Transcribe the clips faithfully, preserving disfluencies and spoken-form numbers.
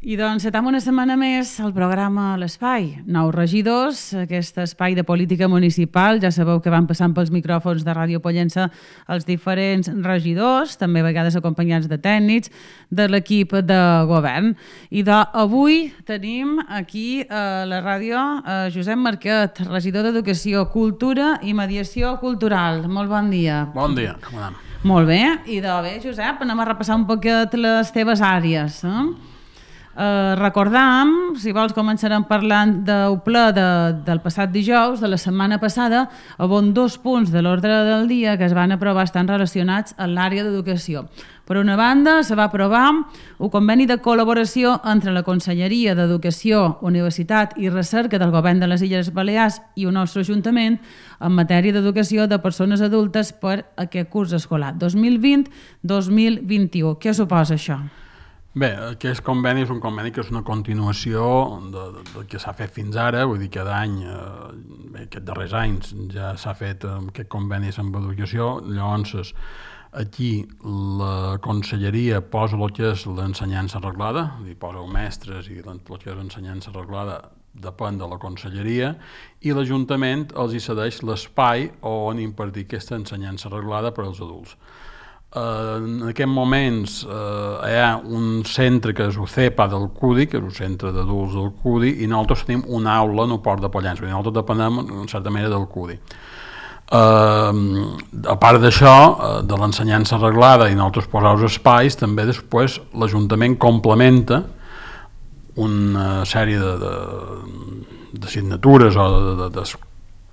I doncs estem una setmana més al programa L'Espai. Nous regidors, aquest espai de política municipal. Ja sabeu que van passant pels micròfons de Ràdio Pollença els diferents regidors, també a vegades acompanyats de tècnics, de l'equip de govern. I avui tenim aquí a la ràdio a Josep Marquet, regidor d'Educació, Cultura i Mediació Cultural. Molt bon dia. Bon dia, com anem? Molt bé. I de bé, Josep, anem a repassar un poquet les teves àrees, eh? Uh, recordam, si vols començarem parlant del ple de, del passat dijous, de la setmana passada, on dos punts de l'ordre del dia que es van aprovar estan relacionats amb l'àrea d'educació. Per una banda, se va aprovar un conveni de col·laboració entre la Conselleria d'Educació, Universitat i Recerca del Govern de les Illes Balears i el nostre Ajuntament en matèria d'educació de persones adultes per aquest curs escolar dos mil vint dos mil vint-i-u. Què suposa això? Bé, aquest conveni és un conveni que és una continuació del de, de que s'ha fet fins ara, vull dir, cada any, eh, bé, aquests darrers anys ja s'ha fet eh, aquest conveni amb educació. Llavors, aquí la Conselleria posa el que és l'ensenyança reglada, dir, posa els mestres i el que és l'ensenyança reglada depèn de la Conselleria, i l'Ajuntament els hi cedeix l'espai on impartir aquesta ensenyança reglada per als adults. Uh, en aquests moments uh, hi ha un centre que és el C E P A del C U D I, que és el centre d'adults del C U D I, i nosaltres tenim una aula en el Port de Pollença, nosaltres depenem en certa manera del C U D I. Uh, a part d'això, uh, de l'ensenyança reglada i nosaltres posar els espais, també després l'Ajuntament complementa una sèrie de, de, de signatures o de, de, de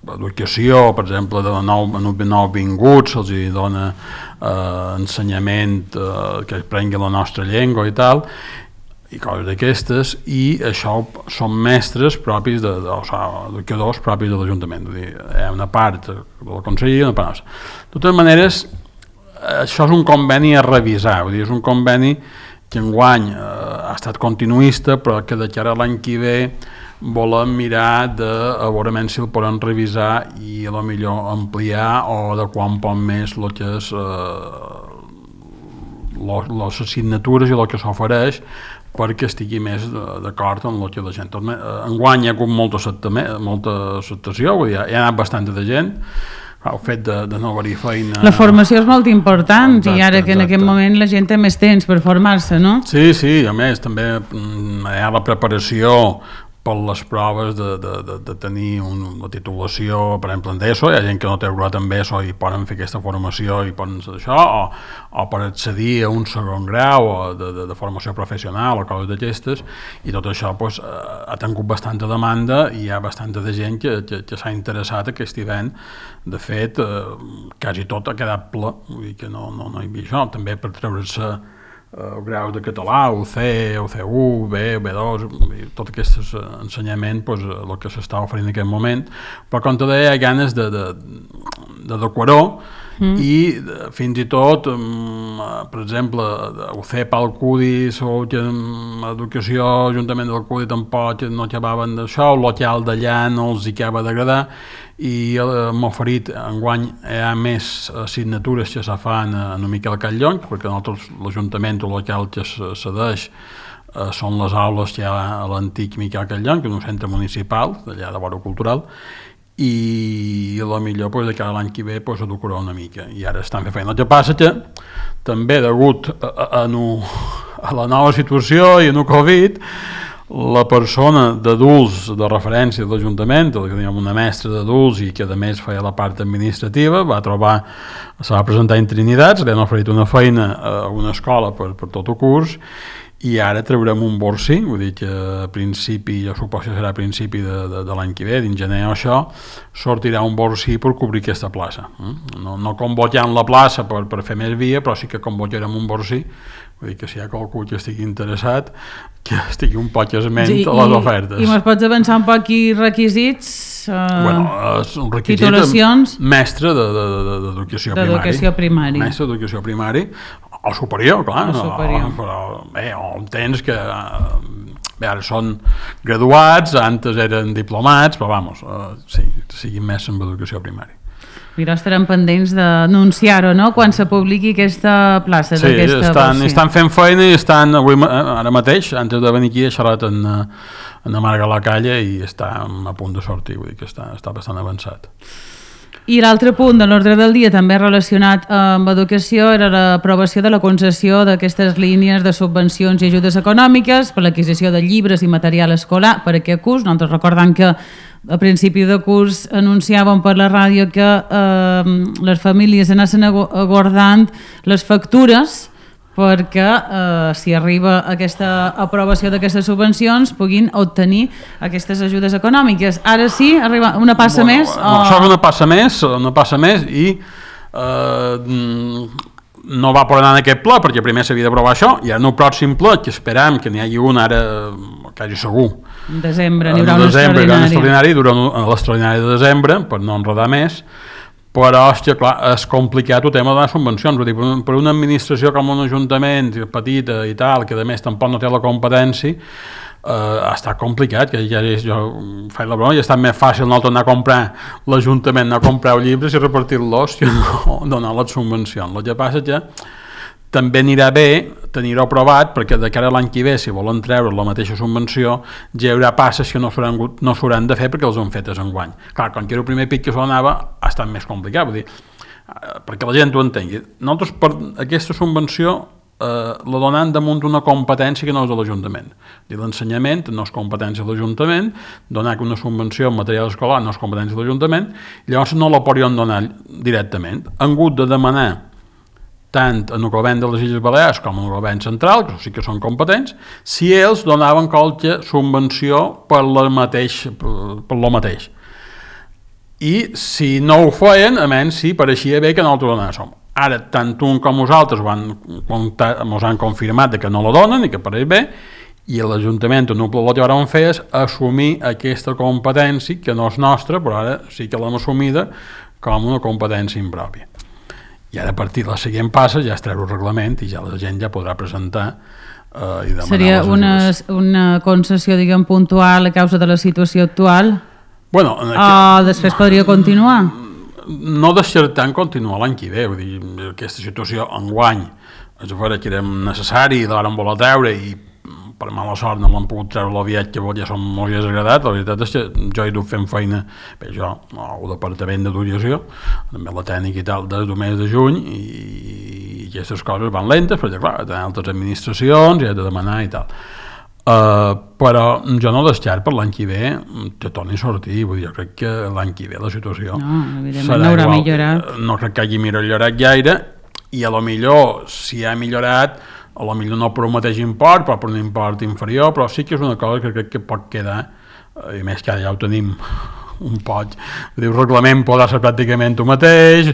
educació, per exemple, de nou, nou vinguts, se'ls dona eh, ensenyament eh, que aprengui la nostra llengua i tal, i coses d'aquestes, i això són mestres propis, de, de, o sigui, educadors propis de l'Ajuntament. Hi ha una part de la Conselleria i una part nostra. De totes maneres, això és un conveni a revisar, vull dir, és un conveni que enguany eh, ha estat continuista, però que de cara a l'any que ve volem mirar de a veure si el podem revisar i a lo millor ampliar o adequar un poc més el que és eh, les assignatures i el que s'ofereix perquè estigui més d'acord amb el que la gent. Enguany hi ha hagut molta, molta acceptació, vull dir, hi ha anat bastanta de gent, el fet de, de no haver-hi feina... La formació és molt important, exacte, i ara que en exacte. Aquest moment la gent té més temps per formar-se, no? Sí, sí, a més també hi ha la preparació per les proves de, de, de, de tenir una titulació, per exemple, en d'ESO. Hi ha gent que no té graduat en ESO i poden fer aquesta formació i poden fer això, o, o per accedir a un segon grau o de, de, de formació professional o coses d'aquestes, i tot això pues, ha tingut bastanta demanda i hi ha bastanta de gent que, que, que s'ha interessat aquest hivern. De fet, eh, quasi tot ha quedat ple, vull dir que no, no, no hi havia això, també per treure-se el grau de català, o C, o C u, B, B dos, tot aquest ensenyament, pues, el que s'està oferint en aquest moment, però com te deia, hi ha ganes de, de, de decorar mm. i de, fins i tot, um, per exemple, el C E P A, el C U D I, l'educació, l'Ajuntament del C U D I tampoc no acabaven d'això, el local d'allà no els hi acaba d'agradar, i m'ha oferit, enguany hi ha més assignatures que se fan en el Miquel Catllonc, perquè nosaltres l'Ajuntament o el local que se cedeix eh, són les aules que hi ha a l'antic Miquel Catllonc, en un centre municipal, d'allà de Vora Cultural, i a lo millor pues, de cada l'any que ve pues, educarà una mica, i ara estan fent feina. El que passa que també degut a, a, a, no, a la nova situació i a no Covid, la persona d'adults de referència de l'Ajuntament, que teníem una mestra d'adults i que a més feia la part administrativa, va trobar, se va presentar en Trinidad, se li han oferit una feina a una escola per, per tot el curs, i ara traurem un borsi, vull dir que a principi, jo suposo que serà a principi de, de, de l'any que ve, dins gener o això, sortirà un borsi per cobrir aquesta plaça. No, no convocant la plaça per, per fer més via, però sí que convocarem un borsi, vull dir que si hi ha qualcú que estigui interessat, que estigui un poc esment sí, a les ofertes. I me'ls pots avançar un poc i requisits? Uh, bueno, és un requisit titulacions? Mestre d'educació de, de, de, primària. primària. Mestre d'educació primària, o superior, clar. O superior. O, però, bé, o tens que... Bé, ara són graduats, antes eren diplomats, però vamos, uh, sí, siguin més en educació primària. Mira, estarem pendents d'anunciar-ho, no?, quan se publiqui aquesta plaça. Sí, estan, estan fent feina i estan, avui, ara mateix, antes de venir aquí, he xerrat en, en Amarga la Calle i està a punt de sortir, vull dir que està, està bastant avançat. I l'altre punt de l'ordre del dia, també relacionat amb educació, era l'aprovació de la concessió d'aquestes línies de subvencions i ajudes econòmiques per l'adquisició de llibres i material escolar per aquest curs. Nosaltres recordem que a principi de curs anunciàvem per la ràdio que eh, les famílies anessin aguardant les factures perquè eh, si arriba aquesta aprovació d'aquestes subvencions puguin obtenir aquestes ajudes econòmiques. Ara sí, arriba una passa bueno, més? O... O... Això és una passa més, una passa més i eh, no va poder anar en aquest ple perquè primer s'havia d'aprovar això i en el pròxim ple, que esperem que n'hi hagi un ara, quasi segur, en desembre n'hi haurà un extraordinari. un extraordinari durant l'extraordinari de desembre, per no enredar més, però, hòstia, clar, és complicat el tema de les subvencions. Vull dir, per una administració com un ajuntament petita i tal, que a més tampoc no té la competència, eh, ha estat complicat, que ja és, jo faig la broma, i ha estat més fàcil no tornar a comprar l'Ajuntament, anar a comprar llibres i repartir-los que no donar les subvencions. El que passa és que també anirà bé tenir-ho aprovat perquè de cara a l'any que ve, si volen treure la mateixa subvenció, ja hi haurà passes que no s'hauran no s'hauran de fer perquè els han fetes enguany. Clar, com que era el primer pic que s'anava, ha estat més complicat, vull dir, perquè la gent ho entengui. Nosaltres per aquesta subvenció eh, la donem damunt d'una competència que no és de l'Ajuntament. L'ensenyament no és competència de l'Ajuntament, donar una subvenció en material escolar no és competència de l'Ajuntament, llavors no la podrien donar directament. Han hagut de demanar tant en el govern de les Illes Balears com en el govern central, que sí que són competents, si ells donaven qualque subvenció per lo mateix, per, per lo mateix. I si no ho feien, a menys si pareixia bé que nosaltres donàssim. Ara, tant un com nosaltres ens han confirmat que no la donen i que pareix bé, i l'Ajuntament no el que vam fer és assumir aquesta competència, que no és nostra, però ara sí que l'hem assumida com una competència impròpia. I ara a partir de la següent passa ja es treu el reglament i ja la gent ja podrà presentar eh, i demanar Seria les una, ajudes. una concessió, diguem, puntual a causa de la situació actual? Bueno, o aquest... després podria continuar? No descartant continuar l'any que ve, vull dir, aquesta situació enguany és a veure que era necessari i l'ara en vol treure i per mala sort no l'han pogut treure l'aviat que ja som molt desagradat. La veritat és que jo he dut fent feina, bé, jo, el departament d'educació, també la tècnica i tal, des del mes de juny, i aquestes coses van lentes, perquè clar, tenen altres administracions i has de demanar i tal. Uh, però jo no desxart per l'any que ve que torni a sortir, vull dir, jo crec que l'any que ve la situació no, evidentment no haurà igual, millorat. No crec que hagi millorat gaire, i a lo millor, si ha millorat, a lo millor no per un mateix import, però per un import inferior, però sí que és una cosa que crec que pot quedar, i més que ja ho tenim un poc, el reglament podrà ser pràcticament el mateix.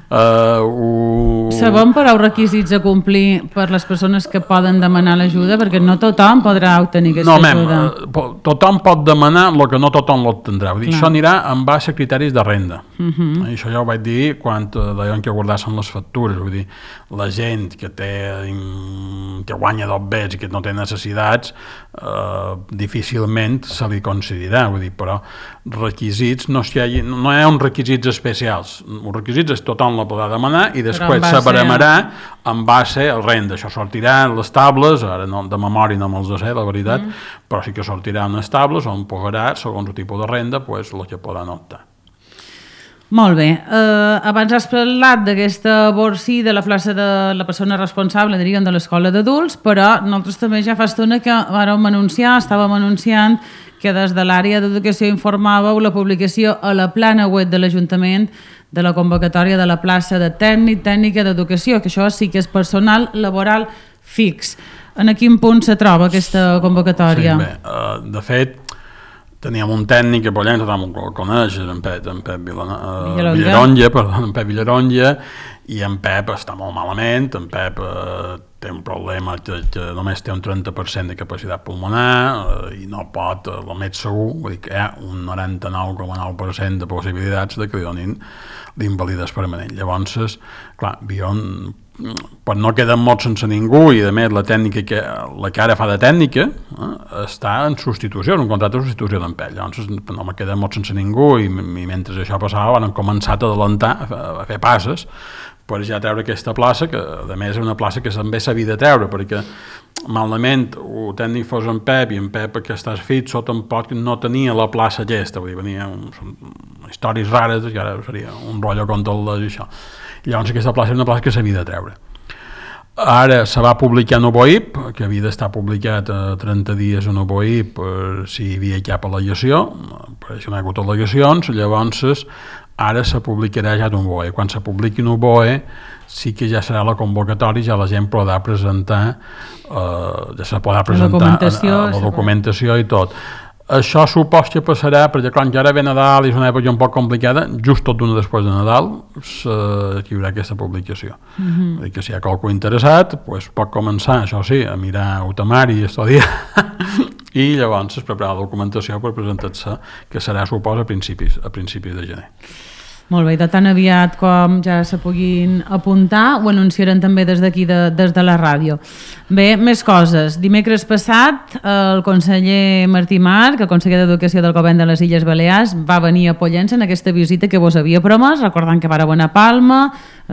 Uh, ho... Sabem però els requisits a complir per les persones que poden demanar l'ajuda, perquè no tothom podrà obtenir aquesta no, ajuda. No, tothom pot demanar el que no tothom l'obtendrà. Vull dir, això anirà en base a criteris de renda. Uh -huh. Això ja ho vaig dir quan deien que guardassin les factures. Vull dir, la gent que té que guanya dos bets i que no té necessitats, eh, difícilment se li concedirà. Vull dir, però requisits no hi ha, no hi ha uns requisits especials. Els requisits és tothom la podrà demanar i després se baremarà en base al renda. Això sortirà en les tables, ara no, de memòria no me'ls sé, la veritat, mm. però sí que sortirà en les tables on pagarà, segons el tipus de renda, pues, el que podran optar. Molt bé. Uh, abans has parlat d'aquesta borsi de la plaça de la persona responsable, diríem, de l'escola d'adults, però nosaltres també ja fa estona que vàrem anunciar, estàvem anunciant que des de l'àrea d'educació informàveu la publicació a la plana web de l'Ajuntament de la convocatòria de la plaça de tècnic, tècnica d'educació, que això sí que és personal laboral fix. En quin punt se troba aquesta convocatòria? Sí, bé, uh, de fet, teníem un tècnic que per allà tothom el coneix, en Pep, en Pep Villaronja, perdó, en Pep Villaronja, i en Pep està molt malament, en Pep eh, té un problema que, que només té un trenta per cent de capacitat pulmonar eh, i no pot, eh, el més segur, vull dir que hi ha un noranta-nou coma nou per cent de possibilitats de que li donin l'invalidesa permanent. Llavors, clar, havíem però no queden mots sense ningú, i a més la tècnica que, la que ara fa de tècnica eh, està en substitució, en un contracte de substitució d'en Pell. Llavors no me queden mots sense ningú, i, i mentre això passava han començat a adelantar, a, a fer passes per ja treure aquesta plaça, que a més és una plaça que també s'havia de treure, perquè malament el tècnic fos en Pep, i en Pep que estàs fitxo tampoc no tenia la plaça aquesta, vull dir, venia un, històries rares, i ara seria un rotllo contra el això. Llavors aquesta plaça és una plaça que s'havia de treure. Ara se va publicar en Oboip, que havia d'estar publicat a trenta dies en Oboip per si hi havia cap al·legació, per això no hi ha hagut al·legacions, llavors ara se publicarà ja d'un B O E. Quan se publiqui un B O E sí que ja serà la convocatòria, ja la gent podrà presentar, eh, ja se podrà presentar la documentació, la, la documentació i tot. Això supos que passarà, perquè clar, que ara ve Nadal i és una època un poc complicada, just tot d'una després de Nadal se, hi haurà aquesta publicació. Mm-hmm. Vull dir que si hi ha qualcú interessat, pues, pot començar, això sí, a mirar Utamari i estudiar i llavors es preparar la documentació per presentar-se, que serà, supos, a principis, a principis de gener. Molt bé, de tan aviat com ja se puguin apuntar, ho anunciaran també des d'aquí, de, des de la ràdio. Bé, més coses. Dimecres passat, el conseller Martí Marc, el conseller d'Educació del Govern de les Illes Balears, va venir a Pollença en aquesta visita que vos havia promès, recordant que vareu anar a Palma,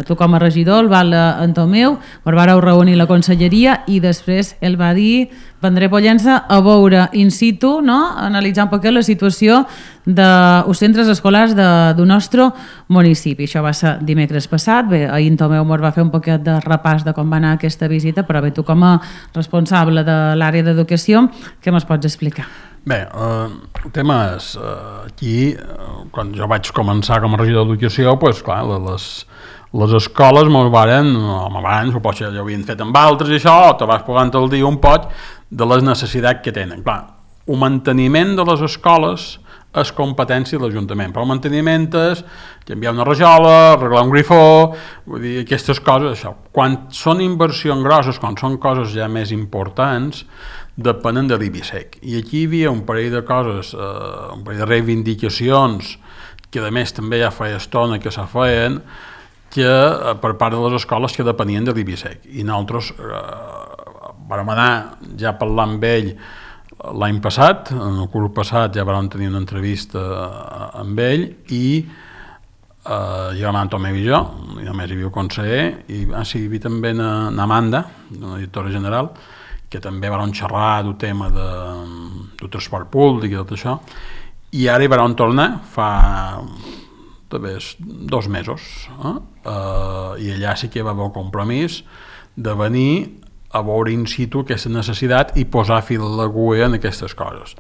tu com a regidor, el val en Tomeu, per vareu reunir la conselleria i després ell va dir vendré a Pollença a veure in situ, no? Analitzar un poc la situació dels centres escolars de, del nostre municipi. Això va ser dimecres passat. Bé, ahir en Tomeu mos va fer un poquet de repàs de com va anar aquesta visita, però bé, tu com a responsable de l'àrea d'educació, què me'ls pots explicar? Bé, eh, el tema és, eh, aquí, eh, quan jo vaig començar com a regidor d'educació, doncs clar, les, les escoles mos varen, home, abans, o potser ja ho havien fet amb altres i això, o te vas posant el dia un poc de les necessitats que tenen. Clar, el manteniment de les escoles és competència de l'Ajuntament, però el manteniment és canviar una rajola, arreglar un grifó, vull dir, aquestes coses, això. Quan són inversions grosses, quan són coses ja més importants, depenen de l'I B I S E C. I aquí hi havia un parell de coses, eh, un parell de reivindicacions, que a més també ja feia estona que se feien, que eh, per part de les escoles que depenien de l'I B I S E C. I nosaltres eh, vam anar ja parlant amb ell l'any passat, en el curs passat ja vam tenir una entrevista amb ell i eh, ja vam anar Tomeu i jo, i només hi havia el conseller, i ah, sí, hi havia també na, na Amanda, una directora general, que també vam xerrar del tema de, del transport públic i tot això, i ara hi vam tornar fa també dos mesos, eh? Uh, i allà sí que va haver el compromís de venir a veure in situ aquesta necessitat i posar fil a l'agulla en aquestes coses.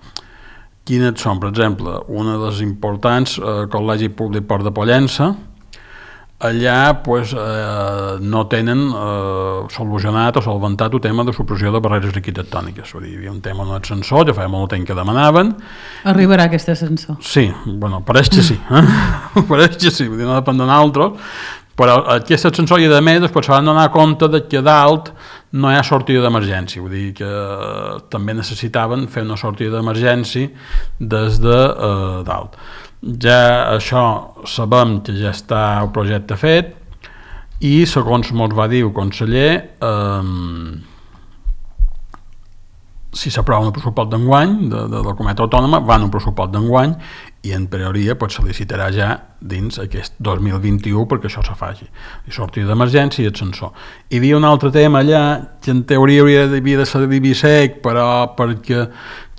Quines són? Per exemple, una de les importants, el eh, Col·legi Públic Port de Pollença, allà pues, eh, no tenen eh, solucionat o solventat el tema de supressió de barreres arquitectòniques. Vull dir, hi havia un tema en l'ascensor, ja feia molt temps que demanaven. Arribarà aquest ascensor? Sí, bueno, pareix que sí. Eh? Pareix que sí, vull dir, no depèn de nosaltres, però aquest ascensor, i a més, després se van donar compte de que dalt no hi ha sortida d'emergència, vull dir que també necessitaven fer una sortida d'emergència des de eh, dalt. Ja això sabem que ja està el projecte fet i segons ens va dir el conseller, eh, si s'aprova un pressupost d'enguany de, de la comunitat autònoma, va en un pressupost d'enguany i en teoria pot sol·licitarà ja dins aquest dos mil vint-i-u perquè això se faci. I sortida d'emergència i ascensor. Hi havia un altre tema allà que en teoria hauria de, havia de ser de l'I B I S E C, però perquè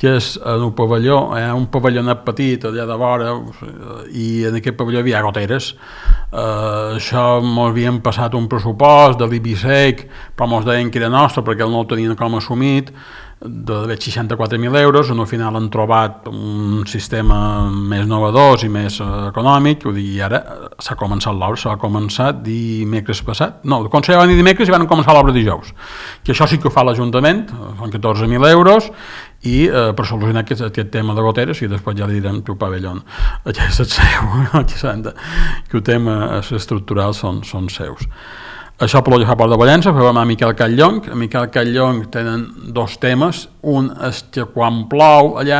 que és en un pavelló, hi ha un pavellonat petit allà de vora i en aquest pavelló hi havia goteres. Uh, això ens havien passat un pressupost de l'I B I S E C, però ens deien que era nostre perquè no el tenien com assumit, de seixanta-quatre mil euros, on al final han trobat un sistema més innovador i més econòmic, i ara s'ha començat l'obra, s'ha començat dimecres passat, no, el Consell va venir dimecres i van començar l'obra dijous, que això sí que ho fa l'Ajuntament, són catorze mil euros, i eh, per solucionar aquest, aquest tema de goteres, i després ja li direm tu pavelló, aquest és seu, que el tema estructural són, són seus. Això per l'Olla Port de Pollença, fem a Miquel Catllong. A Miquel Catllong tenen dos temes. Un és que quan plou allà,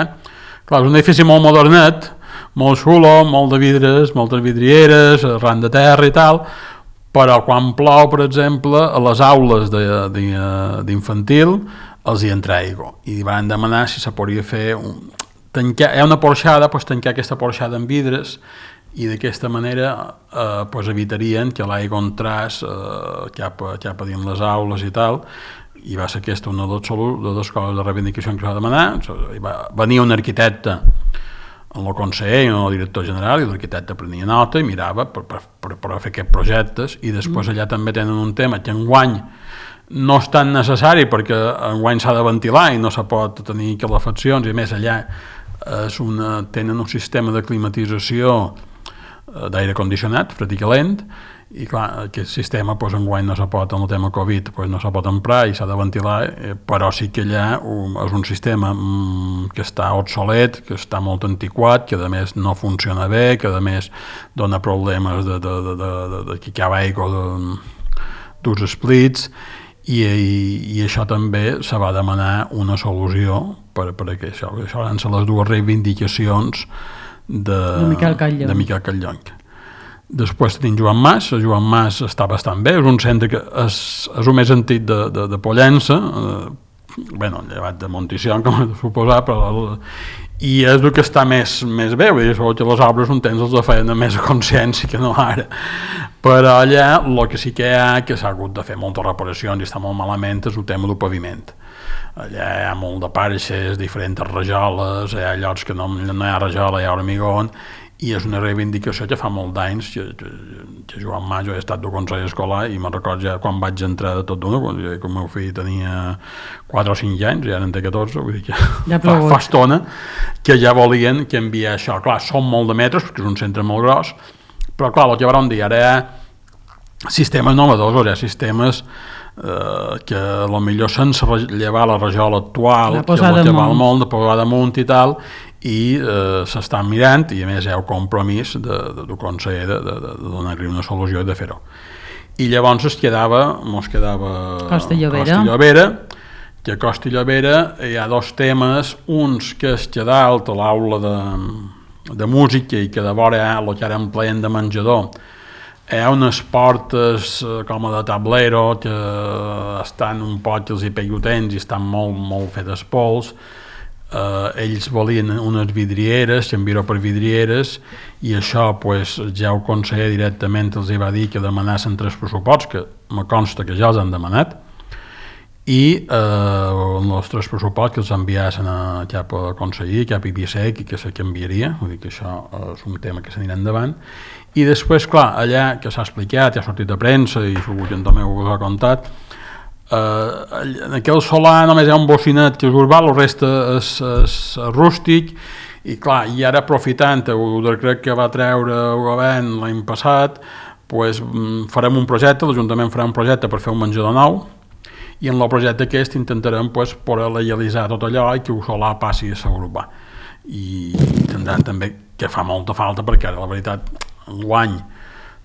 clar, és un edifici molt modernet, molt xulo, molt de vidres, moltes vidrieres, ran de terra i tal, però quan plou, per exemple, a les aules d'infantil els hi entra aigua i van demanar si se podria fer un, tancar, hi ha una porxada, doncs tancar aquesta porxada amb vidres i d'aquesta manera eh, pues evitarien que l'aigua entrés eh, cap, a, cap a dins les aules i tal, i va ser aquesta una de les, de les coses de reivindicació que s'ha demanat. Va venir un arquitecte en el conseller i en el director general, i l'arquitecte prenia nota i mirava per, per, per, per fer aquests projectes, i després mm. allà també tenen un tema que enguany no és tan necessari perquè enguany s'ha de ventilar i no se pot tenir calefaccions, i a més allà és una, tenen un sistema de climatització d'aire condicionat, fred i calent, i clar, aquest sistema pues, enguany no se pot, en el tema Covid pues, no se pot emprar i s'ha de ventilar, eh, però sí que allà um, és un sistema um, que està obsolet, que està molt antiquat, que a més no funciona bé, que a més dona problemes de, de, de, de, de, de que hi ha aigua d'uns splits, i, i, i això també se va demanar una solució per, per a això. Això van ser les dues reivindicacions de, de Miquel Catllong. De Miquel Catllong. Després tenim Joan Mas. Joan Mas està bastant bé, és un centre que és, és el més antic de, de, de Pollença, eh, bueno, llevat de Monticion, com he de suposar, però i és el que està més, més bé, vull dir, segur que les obres un temps els de feien amb més consciència que no ara, però allà el que sí que hi ha, que s'ha hagut de fer moltes reparacions i està molt malament, és el tema del paviment. Allà hi ha molt de parxes, diferents rajoles, hi ha llocs que no, no hi ha rajola, hi ha hormigón, i és una reivindicació que fa molt d'anys que, que, que Joan Mas, jo he estat del Consell Escolar i me'n recordo ja quan vaig entrar de tot d'una, quan el meu fill tenia quatre o cinc anys, ja en té catorze, vull dir que ja fa, fa estona que ja volien que enviar això. Clar, són molt de metres perquè és un centre molt gros, però clar, el que vam dir, ara hi ha sistemes innovadors, hi ha sistemes eh, que potser sense llevar la rajola actual, que és el que val molt, de posar damunt i tal, i eh, s'estan mirant, i a més hi ha el compromís de, de, del conseller de, de, de, de donar-li una solució i de fer-ho. I llavors es quedava, mos quedava Costa i Llobera. Costa i Llobera, que a Costa i Llobera hi ha dos temes, uns que es que dalt a l'aula de, de música i que de vora hi ha el que ara empleen de menjador, hi ha unes portes com a de tablero que estan un poc els hipellotents i estan molt, molt fetes pols. Uh, ells volien unes vidrieres, canviar-ho per vidrieres, i això pues, ja el conseller directament els va dir que demanassin tres pressuposts, que me consta que ja els han demanat, i uh, els tres pressuposts que els enviassin a, cap a conseller, cap a I B S E C, i que se canviaria, vull dir que això uh, és un tema que s'anirà endavant. I després, clar, allà que s'ha explicat, ja ha sortit a premsa i segur que en Tomeu us ha contat, Uh, en aquell solar només hi ha un bocinet que és urbà, el reste és, és rústic, i clar, i ara aprofitant el decret que va treure el govern l'any passat, pues, farem un projecte, l'Ajuntament farà un projecte per fer un menjador nou, i en el projecte aquest intentarem pues, poder legalitzar tot allò i que el solar passi a ser urbà, i tindran també que fa molta falta, perquè ara la veritat enguany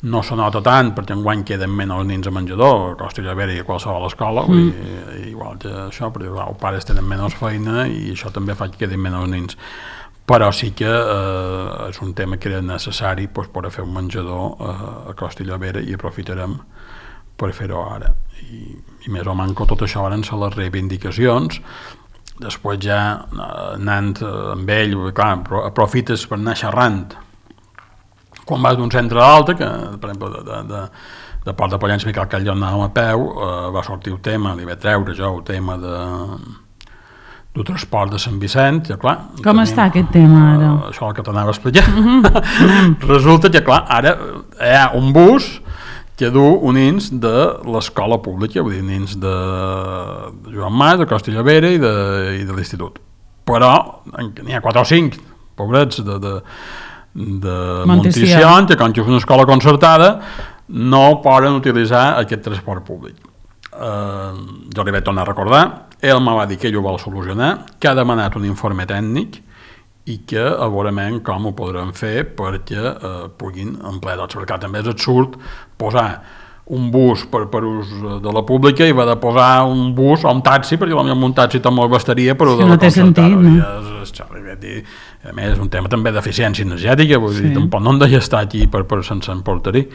no se nota tant, perquè enguany queden menys nins a menjador, a Costa i Llobera i a qualsevol escola, mm. i, igual que això, perquè clar, els pares tenen menys feina i això també fa que quedin menys nins. Però sí que eh, és un tema que era necessari pues, per fer un menjador eh, a Costa i Llobera, i aprofitarem per fer-ho ara. I, i més o manco tot això van ser les reivindicacions. Després ja anant amb ell, clar, aprofites per anar xerrant quan vas d'un centre a l'altre, que per exemple de, de, de, de Port de Pollença, Miquel Catllong anàvem a peu, eh, va sortir el tema, li va treure jo el tema de, del transport de Sant Vicent, ja clar. Com tenim, està aquest tema ara? Eh, això el que t'anava a explicar. Mm-hmm. Resulta que clar, ara hi ha un bus que du uns nins de l'escola pública, vull dir, nins de Joan Mas, de Costa i Llobera i de, i de l'institut. Però n'hi ha quatre o cinc pobrets de... de de Monticion, que com que és una escola concertada no poden utilitzar aquest transport públic. Eh, jo li vaig tornar a recordar, ell me va dir que ell ho vol solucionar, que ha demanat un informe tècnic i que a veurem com ho podrem fer perquè eh, puguin emplear tots, perquè també és absurd posar un bus per, per ús de la pública i va de posar un bus o un taxi, perquè potser un taxi també bastaria, però de no la concertada. Sentit, no? dir, a més és un tema també d'eficiència energètica, vull sí. dir, tampoc no hem de estar aquí per, per sense emportar-hi,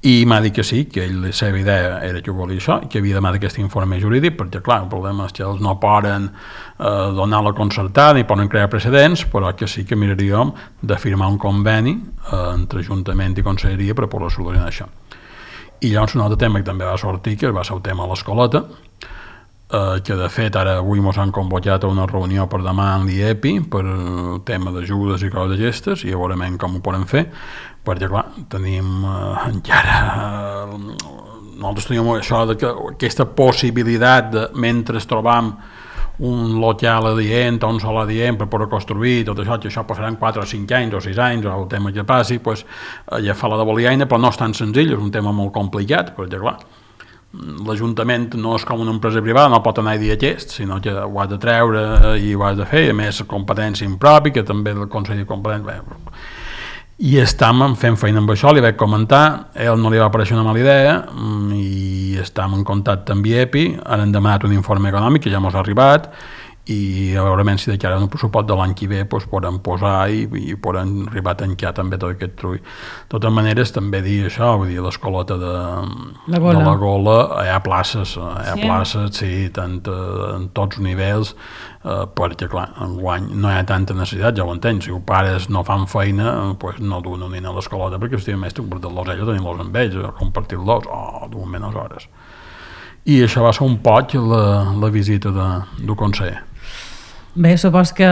i m'ha dit que sí, que ell, la seva idea era que volia això, que havia demanat aquest informe jurídic, perquè clar, el problema és que ells no poden eh, donar la concertada ni poden crear precedents, però que sí que miraríem de firmar un conveni eh, entre Ajuntament i Conselleria per poder solucionar això. I llavors un altre tema que també va sortir, que va ser el tema de l'escoleta, eh, que de fet ara avui ens han convocat a una reunió per demà en l'I E P I per el tema d'ajudes i coses d'aquestes, i ja veurem com ho podem fer, perquè clar, tenim eh, encara eh, nosaltres tenim això de que aquesta possibilitat de, mentre trobam un local adient o un sol adient per poder construir tot això, que això passaran quatre o cinc anys o sis anys o el tema que passi, pues, ja fa la de Boliaina, però no és tan senzill, és un tema molt complicat, perquè clar, l'Ajuntament no és com una empresa privada, no pot anar a dir aquest, sinó que ho has de treure i ho has de fer, a més competència impropi, que també el Consell de Competència... I estem fent feina amb això, li vaig comentar, a ell no li va aparèixer una mala idea i estem en contacte amb I E P I, ara hem demanat un informe econòmic que ja ens ha arribat i a veure si de cara a un pressupost de l'any que ve pues, podem posar i, i podem arribar a tancar també tot aquest trull. De totes maneres també dir això, vull dir, l'escoleta de la Gola, de la Gola hi ha places, hi ha sí. places, sí, tant en tots els nivells, eh, perquè clar, enguany no hi ha tanta necessitat, ja ho entenc, si els pares no fan feina, pues, no duen un nen a l'escoleta perquè estigui més per los ells, tenir-los amb ells, compartir-los, o duen menys hores. I això va ser un poc la, la visita de, del conseller. Bé, supos que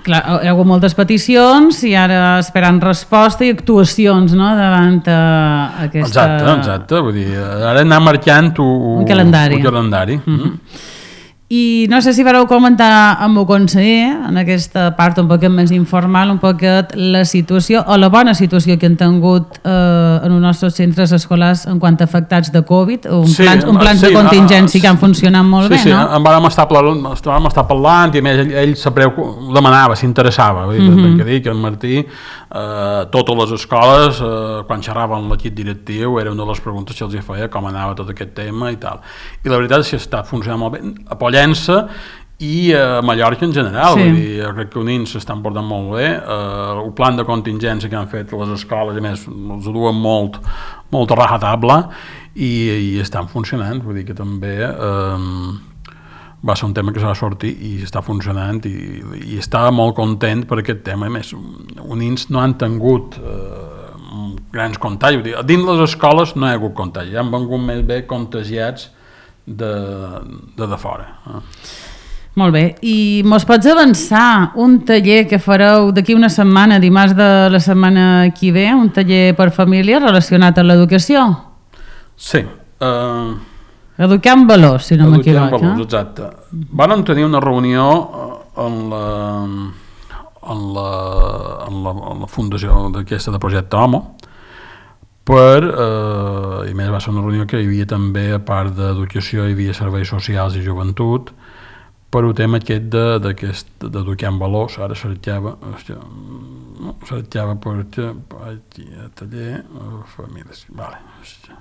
clar, hi ha hagut moltes peticions i ara esperant resposta i actuacions, no?, davant uh, aquesta... Exacte, exacte, vull dir, ara anar marcant un, un calendari. Un calendari. Mm-hmm. Mm-hmm. I no sé si vareu comentar amb el conseller, en aquesta part un poquet més informal, un poquet la situació o la bona situació que han tingut eh, en els nostres centres escolars en quant a afectats de Covid, un sí, plans, un plans sí, de contingència que han funcionat molt sí, bé, sí, no? Sí, en vam estar, vam estar parlant i a més ell, ell se preu, demanava, s'interessava, mm-hmm. que dir que en Martí, eh, totes les escoles, eh, quan xerraven l'equip directiu, era una de les preguntes que els feia, com anava tot aquest tema i tal. I la veritat és que està funcionant molt bé. A i a Mallorca en general, sí. Vull dir, crec que unint s'estan portant molt bé, eh, el plan de contingència que han fet les escoles, a més, els duen molt, molt a rajatabla i, i estan funcionant, vull dir que també eh, va ser un tema que s'ha de sortir i està funcionant i, i estava molt content per aquest tema, a més, units no han tingut eh, grans contagis, vull dir, dins les escoles no hi ha hagut contagis, han vengut més bé contagiats de, de, de fora. Eh? Molt bé, i mos pots avançar un taller que fareu d'aquí una setmana, dimarts de la setmana que ve, un taller per família relacionat amb l'educació? Sí. Uh, Educar amb valors, si no m'equivoco. Educar amb valors, exacte. Vam tenir una reunió en la, en la, en la, en la fundació d'aquesta de Projecte Homo, per, eh, i més va ser una reunió que hi havia també, a part d'educació, hi havia serveis socials i joventut, per un tema aquest d'educar en valors, ara cercava, hòstia, no, cercava per aquí, a taller, famílies, vale, hòstia.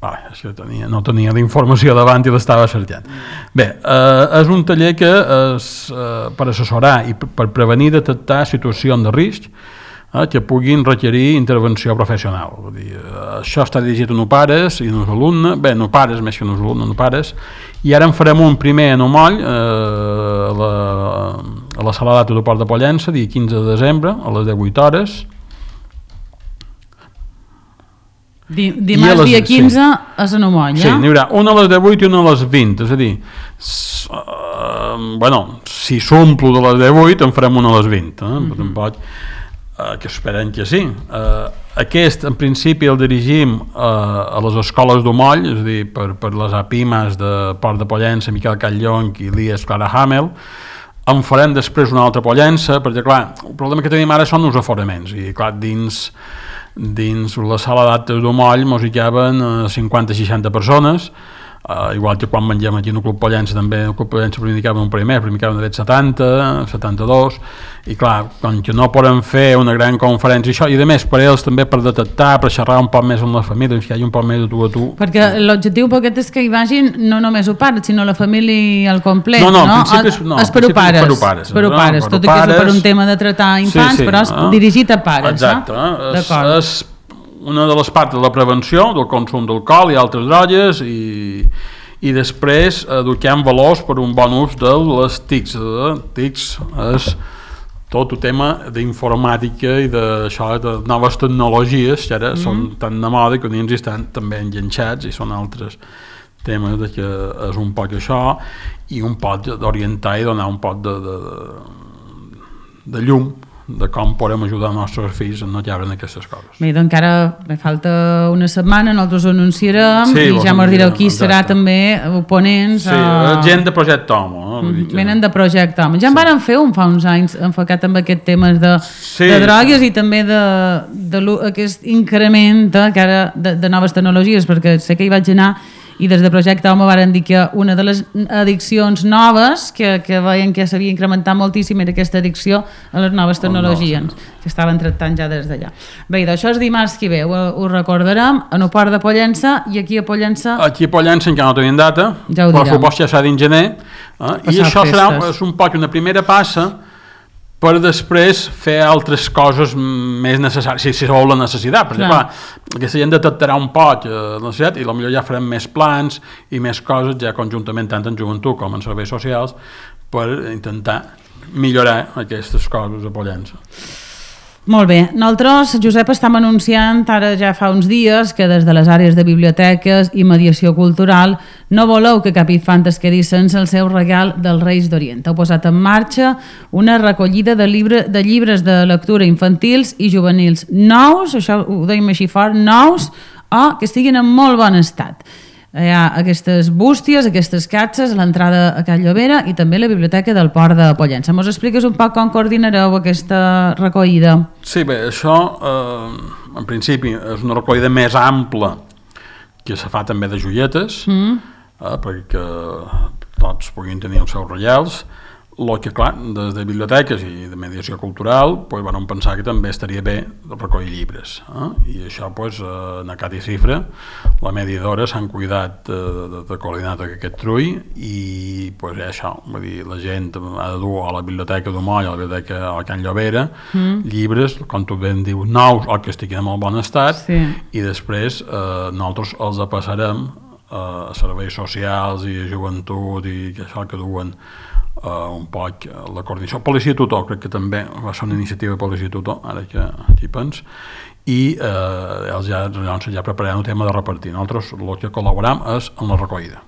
Vale, això tenia, no tenia la informació davant i l'estava cercant. Bé, eh, és un taller que és eh, per assessorar i per prevenir i detectar situacions de risc eh, que puguin requerir intervenció professional. Vull dir, eh, això està dirigit a no pares i a nos alumnes, bé, no pares més que a nos alumnes, no pares, i ara en farem un primer a Nomoll, eh, a, la, a la sala d'actes de Port de Pollença, dia quinze de desembre, a les divuit hores. Dimarts les, dia quinze sí. A Sanomoll, sí, n'hi haurà una a les divuit i una a les vint, és a dir, s, uh, bueno, si s'omplo de les divuit en farem una a les vint, eh? Mm-hmm. Tampoc, uh, que esperen que sí. Uh, aquest, en principi, el dirigim uh, a les escoles d'Omoll, és a dir, per, per les APIMAs de Port de Pollença, Miquel Catllonc i Elias Clara Hamel. En farem després una altra Pollença, perquè, clar, el problema que tenim ara són els aforaments, i, clar, dins... dins la sala d'actes d'Omoll mos hi caben cinquanta a seixanta persones, Uh, igual que quan mengem aquí en el Club Pollença, també el Club Pollença primicava un primer, primicava de setanta, setanta-dos, i clar, com que no podem fer una gran conferència, això, i a més per ells també per detectar, per xerrar un poc més amb la família, que hi hagi un poc més de tu a tu. Perquè l'objectiu poquet és que hi vagin no només el pare, sinó la família al complet, no? No, no, en principi és, no, és per pares, per pares, per no? pares, tot i que és per un tema de tractar infants, sí, sí, però és no? dirigit a pares. Exacte, no? és, és una de les parts de la prevenció del consum d'alcohol i altres drogues, i i després eduquem valors per un bon ús de les T I Cs. T I Cs és tot el tema d'informàtica i d'això, de noves tecnologies que ara mm. són tan de moda que dins estan també enganxats, i són altres temes de que és un poc això, i un poc d'orientar i donar un poc de, de, de, de llum de com podem ajudar els nostres fills a no caure en aquestes coses. Bé, doncs encara me falta una setmana, nosaltres ho anunciarem, sí, i ja m'ho direu qui exacte. Serà també oponents. Sí, a... gent de Projecte Homo. No? Mm -hmm. Venen de Projecte Homo. Ja en sí. varen fer un fa uns anys enfocat en aquest tema de, sí. de drogues i també de, de aquest increment que ara de, de noves tecnologies, perquè sé que hi vaig anar i des de Projecte Homo varen dir que una de les addiccions noves que, que veien que s'havia incrementat moltíssim era aquesta addicció a les noves tecnologies oh, no, sí. que estaven tractant ja des d'allà. Bé, d'això és dimarts que ve, ho, ho recordarem en el port de Pollença, i aquí a Pollença aquí a Pollença encara no tenim data, ja però suposo ja serà dins gener, eh? I això festes. Serà és un poc una primera passa per després fer altres coses més necessàries, si se vol la necessitat, perquè clar, aquesta gent detectarà un poc la necessitat i potser ja farem més plans i més coses ja conjuntament tant en joventut com en serveis socials per intentar millorar aquestes coses a Pollença. Molt bé, nosaltres, Josep, estem anunciant ara ja fa uns dies que des de les àrees de biblioteques i mediació cultural no voleu que cap infant es quedi sense el seu regal dels Reis d'Orient. Heu posat en marxa una recollida de, llibre, de llibres de lectura infantils i juvenils nous, això ho deim així fort, nous, o que estiguin en molt bon estat. Hi ha aquestes bústies, aquestes catxes a l'entrada a Can Llobera i també a la biblioteca del Port de Pollença. Mos expliques un poc com coordinareu aquesta recollida? Sí, bé, això eh, en principi és una recollida més ampla que se fa també de joietes, mm. eh, perquè tots puguin tenir els seus regals. El que, clar, des de biblioteques i de mediació cultural pues, van pensar que també estaria bé recollir llibres. Eh? I això, pues, en Acat i Cifra, la mediadora, s'han cuidat de, de, de coordinar aquest trull i pues, això, vull dir, la gent ha de dur a la biblioteca d'Omoll, a la biblioteca a Can Llobera, mm. llibres, com tu ben dius, nous o que estiguin en molt bon estat, sí. I després eh, nosaltres els passarem a serveis socials i a joventut i que això que duen Uh, un poc la coordinació. Policia Tutor, crec que també va ser una iniciativa de Policia Tutor, ara que hi pens, i uh, ells ja, doncs, ja prepararan el tema de repartir. Nosaltres el que col·laboram és en la recollida.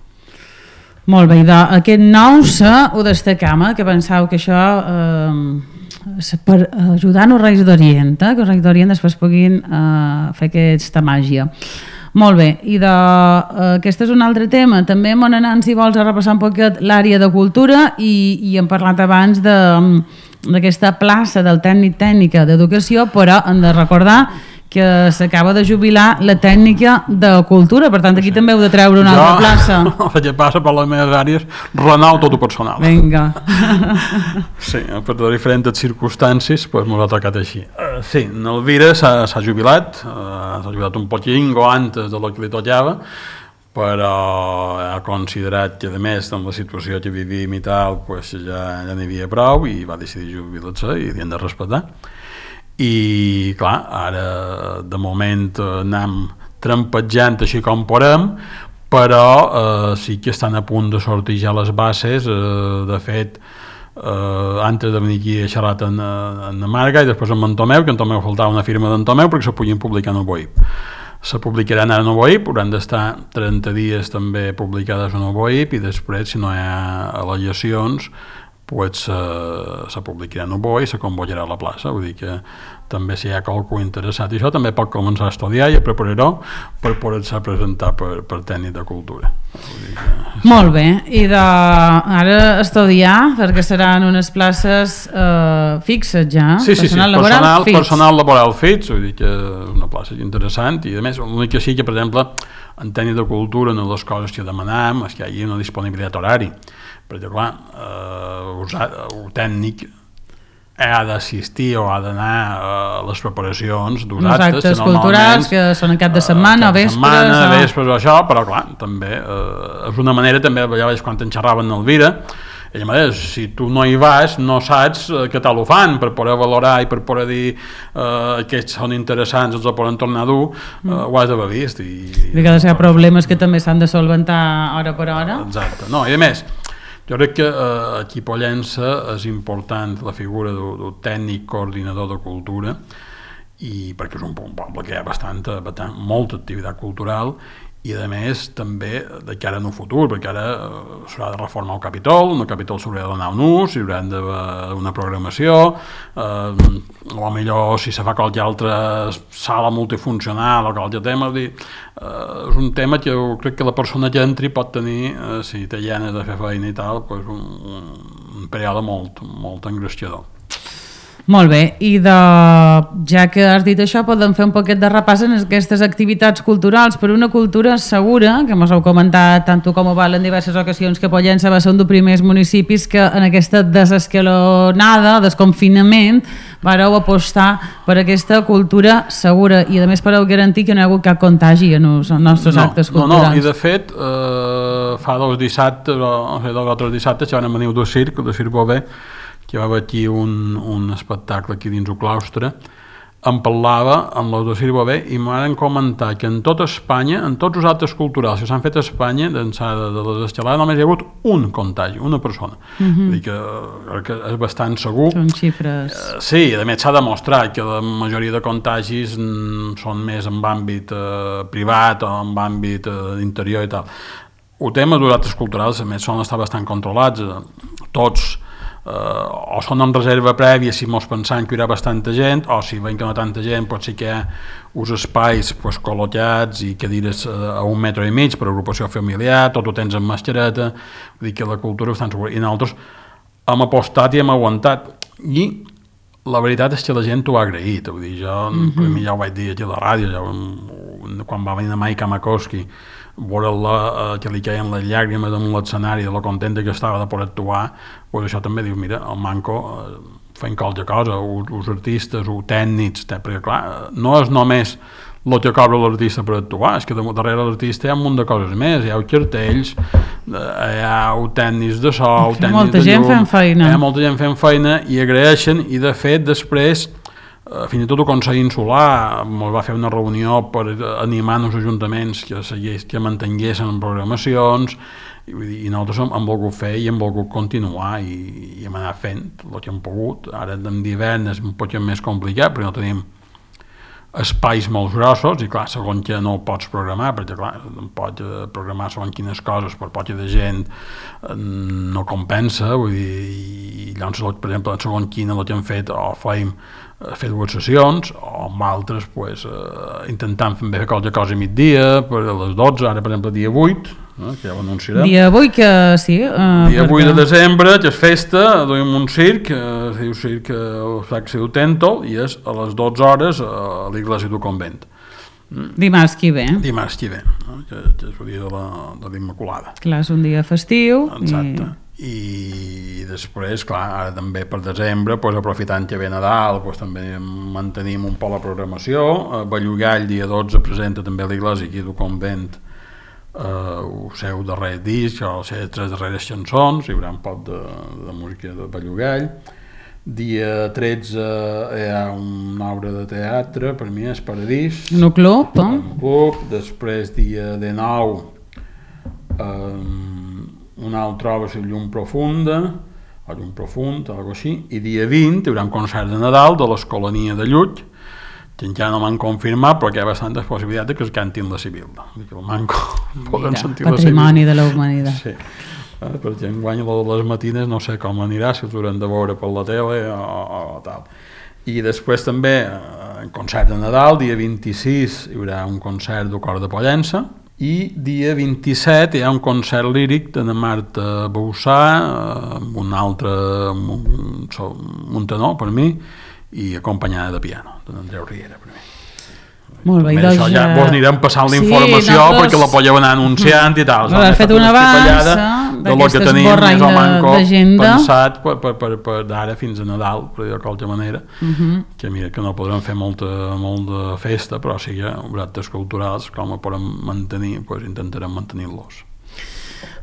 Molt bé, i d'aquest nou se ho destacam, eh, que penseu que això eh, per ajudar els Reis d'Orient, eh, que els Reis d'Orient després puguin eh, fer aquesta màgia. Molt bé, i de, uh, aquest és un altre tema. També m'han anat, si vols, a repassar un poquet l'àrea de cultura i, i hem parlat abans d'aquesta plaça del tècnic tècnica d'educació, però hem de recordar que s'acaba de jubilar la tècnica de cultura, per tant aquí sí. També heu de treure una jo, altra plaça. El que passa per les meves àrees, renou tot el personal. Vinga. Sí, per diferents circumstàncies pues, m'ho ha tocat així. Uh, sí, l'Elvira s'ha jubilat, uh, s'ha jubilat un poquingo antes de lo que li tocava, però ha considerat que, a més, amb la situació que vivim i tal, pues, ja, ja n'hi havia prou i va decidir jubilar-se i li hem de respectar. I clar, ara de moment anem trampejant així com podem, però eh, sí que estan a punt de sortir ja les bases. Eh, de fet, eh, antes de venir aquí he xerrat en, en Marga i després amb en Tomeu, que en Tomeu faltava una firma d'en Tomeu perquè se puguin publicar en el B O I P. Se publicaran ara en el B O I P, hauran d'estar trenta dies també publicades en el B O I P i després, si no hi ha al·legacions, pues, uh, se publicarà en el B O I i se convocarà a la plaça, vull dir que també si hi ha qualcú interessat i això també pot començar a estudiar i a preparar-ho per poder-se presentar per, per tècnic de cultura. Vull dir que... Molt bé, i de, ara estudiar, perquè seran unes places uh, fixes ja, sí, sí, personal, sí, laboral, personal, fix. personal laboral fix, vull dir que és una plaça interessant i a més l'únic que sí que, per exemple, en tècnic de cultura una de les coses que demanàvem és que hi hagi una disponibilitat horari, perquè clar, eh, el tècnic ha d'assistir o ha d'anar a les preparacions d'uns actes, actes culturals que són en cap de setmana, cap de vespres, setmana, o... vespres o això, però clar, també eh, és una manera, també ja veig quan en xerraven Elvira, ella m'ha dit, si tu no hi vas no saps eh, què tal ho fan, per poder valorar i per poder dir eh, que són interessants, els ho poden tornar a dur, eh, mm. ho has d'haver vist. I, I que ha de ser problemes que també s'han de solventar hora per hora. Exacte, no, i a més, jo crec que eh, aquí a Pollença és important la figura d'un tècnic coordinador de cultura, i perquè és un poble que hi ha bastanta, bastant, molta activitat cultural, i a més també de cara en un futur, perquè ara eh, s'haurà de reformar el Capitol, el Capitol s'haurà de donar un ús, hi haurà d'haver una programació, eh, o millor si se fa qualque altra sala multifuncional o qualque tema, dir, eh, és un tema que jo crec que la persona que entri pot tenir, eh, si té ganes de fer feina i tal, pues un, un període molt, molt engreixador. Molt bé, i de, ja que has dit això, podem fer un poquet de repàs en aquestes activitats culturals per una cultura segura, que mos heu comentat tant tu com ho val en diverses ocasions, que Pollença va ser un dels primers municipis que en aquesta desescalonada, desconfinament, vareu apostar per aquesta cultura segura i a més per garantir que no hi ha hagut cap contagi en els nostres no, actes culturals. No, no, i de fet, eh, fa dos dissabtes, o dos o tres dissabtes, ja van venir del circ, del circ Bové, que va haver aquí un, un espectacle aquí dins el claustre, em parlava amb els de Circ Bové i m'han comentat que en tota Espanya, en tots els actes culturals que s'han fet a Espanya, d'ençà de, de les escalades, només hi ha hagut un contagi, una persona. Mm-hmm. Vull dir que, crec que és bastant segur. Són xifres... Eh, sí, a més s'ha demostrat que la majoria de contagis mm, són més en àmbit eh, privat o en àmbit eh, interior i tal. El tema dels actes culturals, a més, són estar bastant controlats. Eh, tots Uh, o són amb reserva prèvia si mos pensant que hi haurà bastanta gent, o si veiem que no tanta gent pot ser que hi ha uns espais pues, col·locats i cadires uh, a un metre i mig per agrupació familiar, tot ho tens amb mascareta, vull dir que la cultura és bastant segura, i nosaltres hem apostat i hem aguantat, i la veritat és que la gent ho ha agraït, vull dir, jo, mm-hmm. per mi ja ho vaig dir aquí a la ràdio, ja, quan va venir a Mike Makowski, veure-la, eh, que li queien les llàgrimes en l'escenari de la contenta que estava de poder actuar, pues això també diu, mira, el Manco eh, fent qualque cosa, els artistes, els tècnics, perquè clar, no és només el que cobra l'artista per actuar, és que darrere l'artista hi ha un munt de coses més, hi ha els cartells, hi ha els tècnics de so, el tècnic molta de gent llum, fent feina. hi ha molta gent fent feina i agraeixen, i de fet després fins i tot el Consell Insular ens va fer una reunió per animar els ajuntaments que, segueix, que mantinguessin programacions i, i nosaltres hem, hem volgut fer i hem volgut continuar i, i hem anat fent el que hem pogut. Ara en d'hivern és un poc més complicat perquè no tenim espais molt grossos i clar, segons que no ho pots programar, perquè clar, no pots programar segons quines coses per poca de gent no compensa, vull dir, i llavors, per exemple, segons quina el que hem fet o feim fer dues sessions, o amb altres pues, eh, intentant fer qualque cosa a migdia, per a les dotze, ara per exemple dia vuit, eh, que ja ho anunciarem. Dia vuit que sí. Uh, dia vuit de desembre, que és festa, duim un circ, eh, es diu circ, el sac se diu Tèntol, i és a les dotze hores a l'església del convent. Mm. Dimarts que ve. Dimarts que ve, eh, que, que és el dia de l'Immaculada. Clar, és un dia festiu. Exacte. I... i després, clar, ara també per desembre, pues, aprofitant que ve Nadal, pues, també mantenim un poc la programació. A Bellugall, dia dotze, presenta també l'església aquí del convent eh, el seu darrer disc, o les seves tres darreres cançons, hi haurà un poc de, de música de Bellugall. Dia tretze hi ha una obra de teatre, per mi és Paradís. No club, eh? Un club. Després, dia dinou, eh, una altra obra, la Llum Profunda, o Llum Profund, algo així, i dia vint hi haurà un concert de Nadal de l'Escolania de Llull, que encara no m'han confirmat, però que hi ha bastantes possibilitats que es cantin la Sibil·la. Que el Manco poden sentir la Sibil·la. Patrimoni de la humanitat. Sí. Eh, perquè enguany a les matines no sé com anirà, si us haurem de veure per la tele o, o, o tal. I després també, eh, concert de Nadal, dia vint-i-sis hi haurà un concert del Cor de Pollença, i dia vint-i-set hi ha un concert líric de Marta Boussà, amb un altre muntanó per mi, i acompanyada de piano, d'en Andreu Riera per mi. Molt bé, doncs això ja vos anirem passant la informació sí, nosaltres... perquè la podeu anar anunciant i tal. Has fet una avança d'aquest esborrany d'agenda pensat per, per, per, per d'ara fins a Nadal, per dir-ho de qualsevol manera, uh -huh. que mira que no podrem fer molta, molta festa, però sí que actes culturals, com ho podem mantenir, doncs intentarem mantenir-los.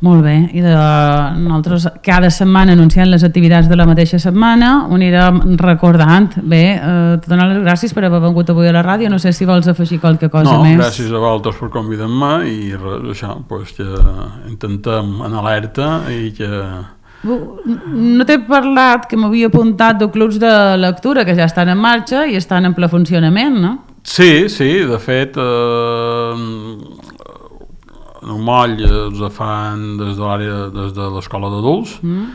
Molt bé, i de nosaltres cada setmana anunciant les activitats de la mateixa setmana ho anirem recordant. Bé, eh, te dono les gràcies per haver vengut avui a la ràdio, no sé si vols afegir qualque cosa no, més. No, gràcies a vosaltres per convidar-me i res, això, pues que intentem en alerta i que... No t'he parlat que m'havia apuntat de clubs de lectura que ja estan en marxa i estan en ple funcionament, no? Sí, sí, de fet... Eh... en un moll els fan des de l'àrea, des de l'escola d'adults, mm.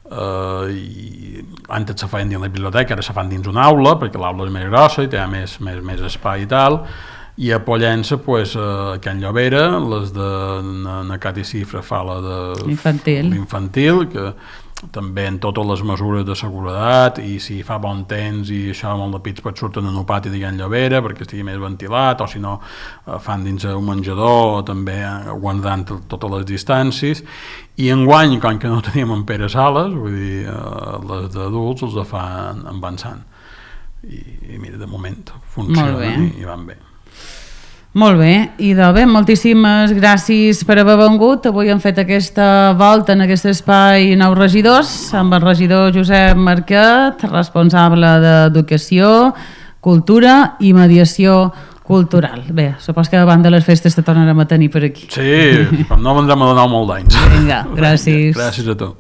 eh, i antes se feien dins la biblioteca, ara se fan dins una aula, perquè l'aula és més grossa i té més, més, més espai i tal, i a Pollença, pues, a Can Llobera, les de na Cati Cifra fa la de l'infantil, que també en totes les mesures de seguretat, i si fa bon temps i això, molt de pits pot surten en el pati de Can Llobera perquè estigui més ventilat, o si no fan dins un menjador, també guardant totes les distàncies. I enguany, com que no teníem en Pere Sales, vull dir, les d'adults els fan avançant, i, i mira, de moment funcionen i, i van bé. Molt bé, i de bé, moltíssimes gràcies per haver vengut. Avui hem fet aquesta volta en aquest espai Nous Regidors amb el regidor Josep Marquet, responsable d'Educació, Cultura i Mediació Cultural. Bé, supos que davant de les festes te tornarem a tenir per aquí. Sí, com no vendrem a donar molt d'anys. Vinga, gràcies. Gràcies a tu.